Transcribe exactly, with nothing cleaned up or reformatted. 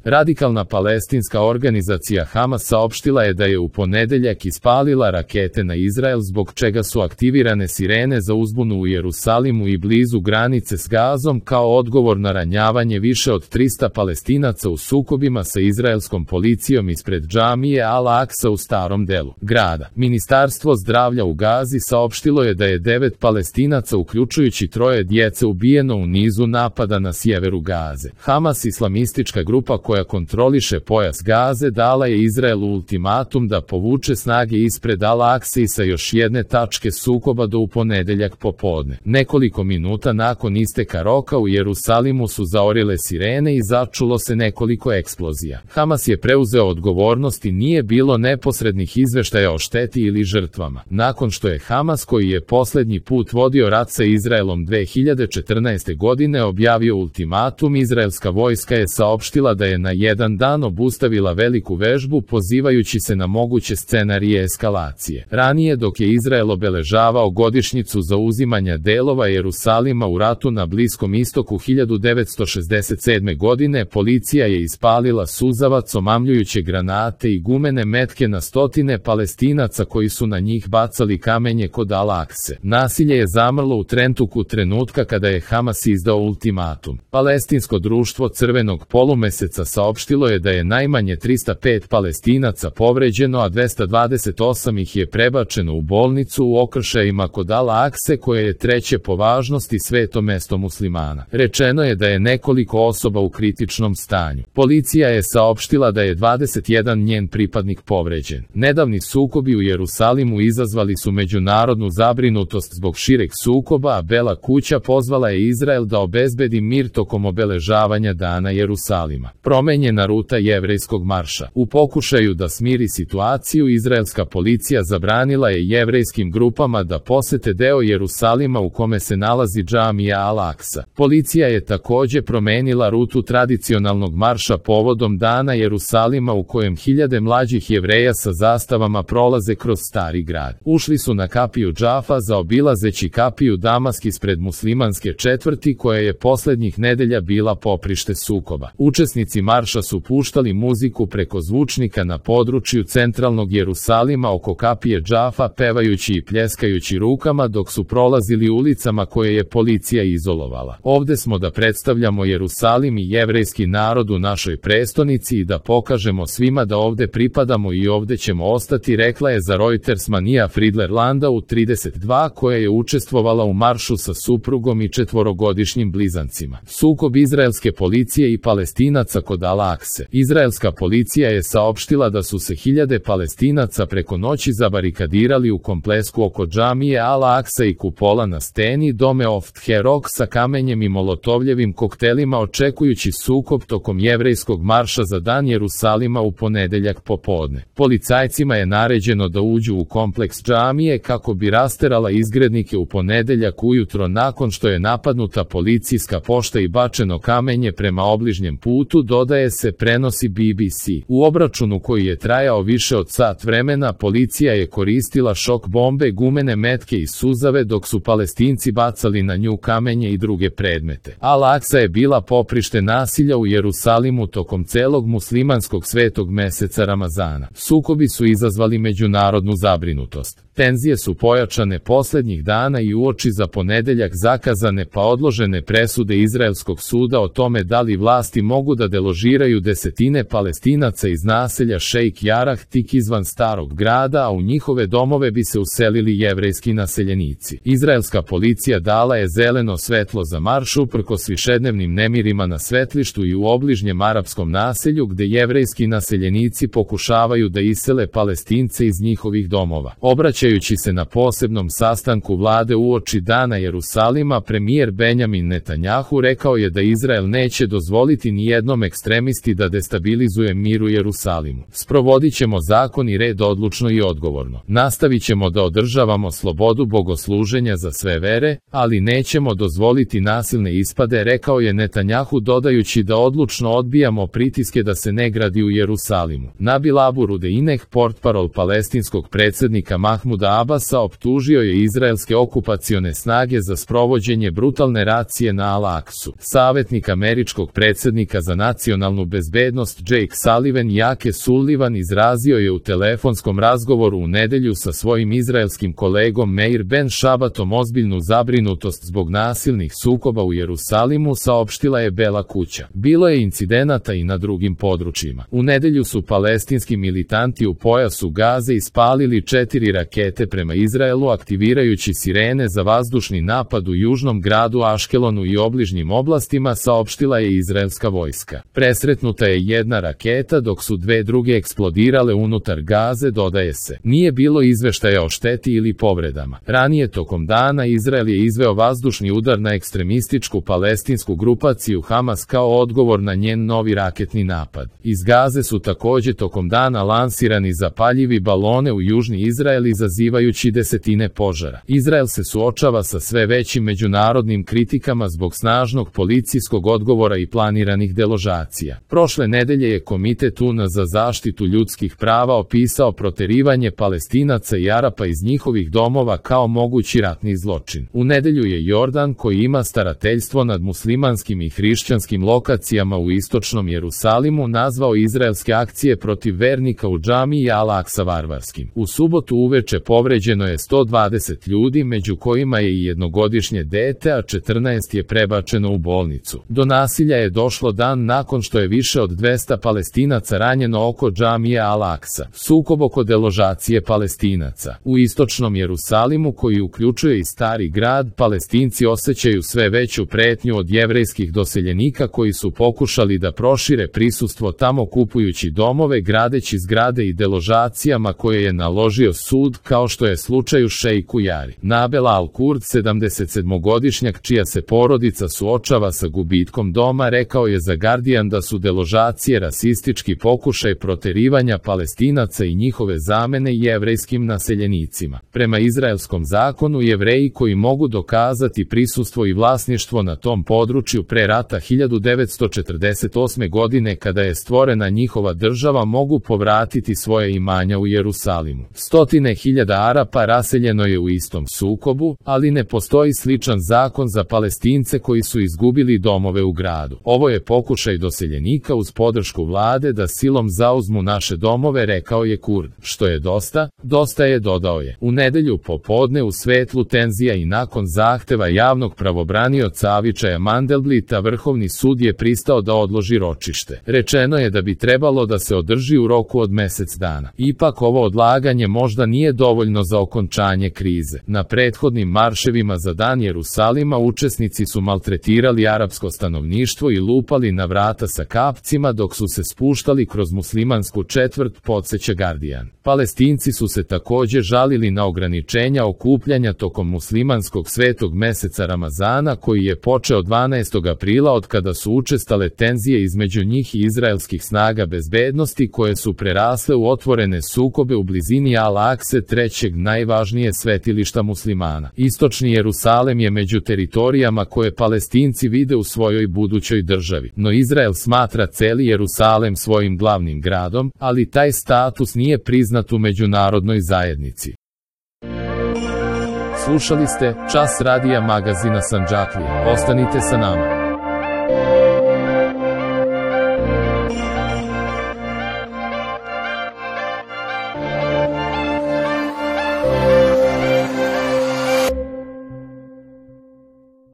Radikalna palestinska organizacija Hamas saopštila je da je u ponedeljak ispalila rakete na Izrael, zbog čega su aktivirane sirene za uzbunu u Jerusalimu i blizu granice s Gazom kao odgovor na ranjavanje više od trista Palestinaca u sukobima sa izraelskom policijom ispred džamije Al-Aksa u starom delu grada. Ministarstvo zdravlja u Gazi saopštilo je da je devet Palestinaca, uključujući troje djece, ubijeno u nizu napada na sjeveru Gaze. Hamas, islamistička grupa koja kontroliše pojas Gaze, dala je Izraelu ultimatum da povuče snage ispred Al-Akse i sa još jedne tačke sukoba do u ponedeljak popodne. Nekoliko minuta nakon isteka roka u Jerusalimu su zaorile sirene i začulo se nekoliko eksplozija. Hamas je preuzeo odgovornost i nije bilo neposrednih izveštaja o šteti ili žrtvama. Nakon što je Hamas, koji je poslednji put vodio rat sa Izraelom dve hiljade četrnaeste. godine, objavio ultimatum, izraelska vojska je saopštila da je na jedan dan obustavila veliku vežbu, pozivajući se na moguće scenarije eskalacije. Ranije, dok je Izrael obeležavao godišnjicu zauzimanja delova Jerusalima u ratu na Bliskom istoku hiljadu devetsto šezdeset sedme. godine, policija je ispalila suzavac, omamljujuće granate i gumene metke na stotine Palestinaca koji su na njih bacali kamenje kod Al-Akse. Nasilje je zamrlo u trenutku trenutka kada je Hamas izdao ultimatum. Palestinsko društvo Crvenog polumeseca saopštilo je da je najmanje trista pet Palestinaca povređeno, a dvesta dvadeset osam ih je prebačeno u bolnicu u okršajima kod Al-Akse, koje je treće po važnosti sveto mesto muslimana. Rečeno je da je nekoliko osoba u kritičnom stanju. Policija je saopštila da je dvadeset jedan njen pripadnik povređen. Nedavni sukobi u Jerusalimu izazvali su međunarodnu zabrinutost zbog šireg sukoba, a Bela kuća pozvala je Izrael da obezbedi mir tokom obeležavanja Dana Jerusalima. Promenjena ruta jevrejskog marša. U pokušaju da smiri situaciju, izraelska policija zabranila je jevrejskim grupama da posete deo Jerusalima u kome se nalazi džamija Al-Aksa. Policija je takođe promenila rutu tradicionalnog marša povodom Dana Jerusalima, u kojem hiljade mlađih Jevreja sa zastavama prolaze kroz stari grad. Ušli su na kapiju Džafa, zaobilazeći kapiju Damask ispred muslimanske četvrti, koja je poslednjih nedelja bila poprište sukoba. Učesnici marša su puštali muziku preko zvučnika na području centralnog Jerusalima oko kapije Džafa, pevajući i pljeskajući rukama dok su prolazili ulicama koje je policija izolovala. Ovde smo da predstavljamo Jerusalim i jevrejski narod u našoj prestonici i da pokažemo svima da ovde pripadamo i ovde ćemo ostati, rekla je za Reuters Manija Friedler Landa u trideset dva, koja je učestvovala u maršu sa suprugom i četvorogodišnjim blizancima. Sukob izraelske policije i Palestinaca kod Al-Akse. Izraelska policija je saopštila da su se hiljade Palestinaca preko noći zabarikadirali u komplesku oko džamije Al-Aksa i kupola na steni Dome of Herok sa kamenjem i molotovljevim koktelima, očekujući sukob tokom jevrejskog marša za Dan Jerusalima u ponedeljak popodne. Policajcima je naređeno da uđu u kompleks džamije kako bi rasterala izgrednike u ponedeljak ujutro nakon što je napadnuta policijska pošta i bačeno kamenje prema obližnjem putu, dodaje se, prenosi B B C. U obračunu koji je trajao više od sat vremena, policija je koristila šok bombe, gumene metke i suzave, dok su Palestinci bacali na nju kamenje i druge predmete. Al-Aksa je bila poprište nasilja u Jerusalimu tokom celog muslimanskog svetog meseca Ramazana. Sukobi su izazvali međunarodnu zabrinutost. Tenzije su pojačane poslednjih dana i uoči za ponedeljak zakazane pa odložene presude izraelskog suda o tome da li vlasti mogu da deložiraju desetine Palestinaca iz naselja Šejk Jarah tik izvan starog grada, a u njihove domove bi se uselili jevrejski naseljenici. Izraelska policija dala je zeleno svetlo za marš uprkos višednevnim nemirima na svetlištu i u obližnjem arapskom naselju, gde jevrejski naseljenici pokušavaju da isele Palestince iz njihovih domova. Obraćajući se na posebnom sastanku vlade uoči Dana Jerusalima, premijer Benjamin Netanjahu rekao je da Izrael neće dozvoliti ni jednom ekstremisti da destabilizuje mir u Jerusalimu. Sprovodit ćemo zakon i red odlučno i odgovorno. Nastavit ćemo da održavamo slobodu bogosluženja za sve vere, ali nećemo dozvoliti nasilne ispade, rekao je Netanjahu, dodajući da odlučno odbijamo pritiske da se ne gradi u Jerusalimu. Nabil Abu Rudeinek, portparol palestinskog predsjednika Mahmuda Mahmuda Abasa optužio je izraelske okupacione snage za sprovođenje brutalne racije na Al-Aksu. Savjetnik američkog predsjednika za nacionalnu bezbednost Jake Sullivan Jake Sullivan izrazio je u telefonskom razgovoru u nedjelju sa svojim izraelskim kolegom Meir Ben Šabatom ozbiljnu zabrinutost zbog nasilnih sukoba u Jerusalimu, saopštila je Bela kuća. Bilo je incidenata i na drugim područjima. U nedjelju su palestinski militanti u pojasu Gaze ispalili četiri rakete prema Izraelu, aktivirajući sirene za vazdušni napad u južnom gradu Aškelonu i obližnjim oblastima, saopštila je izraelska vojska. Presretnuta je jedna raketa, dok su dve druge eksplodirale unutar Gaze, dodaje se. Nije bilo izveštaja o šteti ili povredama. Ranije tokom dana Izrael je izveo vazdušni udar na ekstremističku palestinsku grupaciju Hamas kao odgovor na njen novi raketni napad. Iz Gaze su također tokom dana lansirani zapaljivi balone u južni Izrael, izazivajući desetine požara. Izrael se suočava sa sve većim međunarodnim kritikama zbog snažnog policijskog odgovora i planiranih deložacija. Prošle nedelje je Komitet U N za zaštitu ljudskih prava opisao proterivanje Palestinaca i Arapa iz njihovih domova kao mogući ratni zločin. U nedelju je Jordan, koji ima starateljstvo nad muslimanskim i hrišćanskim lokacijama u istočnom Jerusalimu, nazvao izraelske akcije protiv vernika u džamiji Al-Aksa varvarskim. U subotu uveče povređeno je sto dvadeset ljudi, među kojima je i jednogodišnje dete, a četrnaest je prebačeno u bolnicu. Do nasilja je došlo dan nakon što je više od dvesta Palestinaca ranjeno oko džamije Al-Aksa. Sukob oko deložacije Palestinaca. U istočnom Jerusalimu, koji uključuje i stari grad, Palestinci osjećaju sve veću pretnju od jevrejskih doseljenika koji su pokušali da prošire prisustvo tamo, kupujući domove, gradeći zgrade i deložacijama koje je naložio sud, kao što je slučaj u Šejku Jari. Nabel Al-Kurd, sedamdesetsedmogodišnjak čija se porodica suočava sa gubitkom doma, rekao je za Guardian da su deložacije rasistički pokušaj proterivanja Palestinaca i njihove zamene jevrejskim naseljenicima. Prema izraelskom zakonu, Jevreji koji mogu dokazati prisustvo i vlasništvo na tom području pre rata hiljadu devetsto četrdeset osme godine, kada je stvorena njihova država, mogu povratiti svoje imanja u Jerusalimu. Stotine hiljada Arapa raseljeno je u istom sukobu, ali ne postoji sličan zakon za Palestince koji su izgubili domove u gradu. Ovo je pokušaj doseljenika uz podršku vlade da silom zauzmu naše domove, rekao je Kurd. Što je dosta? Dosta je, dodao je. U nedelju popodne, u svetlu tenzija i nakon zahteva javnog pravobranioca Avičaja Mandelblita, Vrhovni sud je pristao da odloži ročište. Rečeno je da bi trebalo da se održi u roku od mesec dana. Ipak ovo odlaganje možda nije dovoljno za okončanje krize. Na prethodnim marševima za dan Jerusalima učesnici su maltretirali arapsko stanovništvo i lupali na vrata sa kapcima dok su se spuštali kroz muslimansku četvrt, podseća Guardian. Palestinci su se također žalili na ograničenja okupljanja tokom muslimanskog svetog meseca Ramazana, koji je počeo dvanaestog aprila, od kada su učestale tenzije između njih i izraelskih snaga bezbednosti, koje su prerasle u otvorene sukobe u blizini Al-Akse, trećeg najvažnije svetilišta muslimana. Istočni Jerusalem je među teritorijama koje Palestinci vide u svojoj budućoj državi, no Izrael smatra celi Jerusalem svojim glavnim gradom, ali taj status nije priznat u međunarodnoj zajednici. Slušali ste Čas radija magazina Sandžaklija. Ostanite sa nama.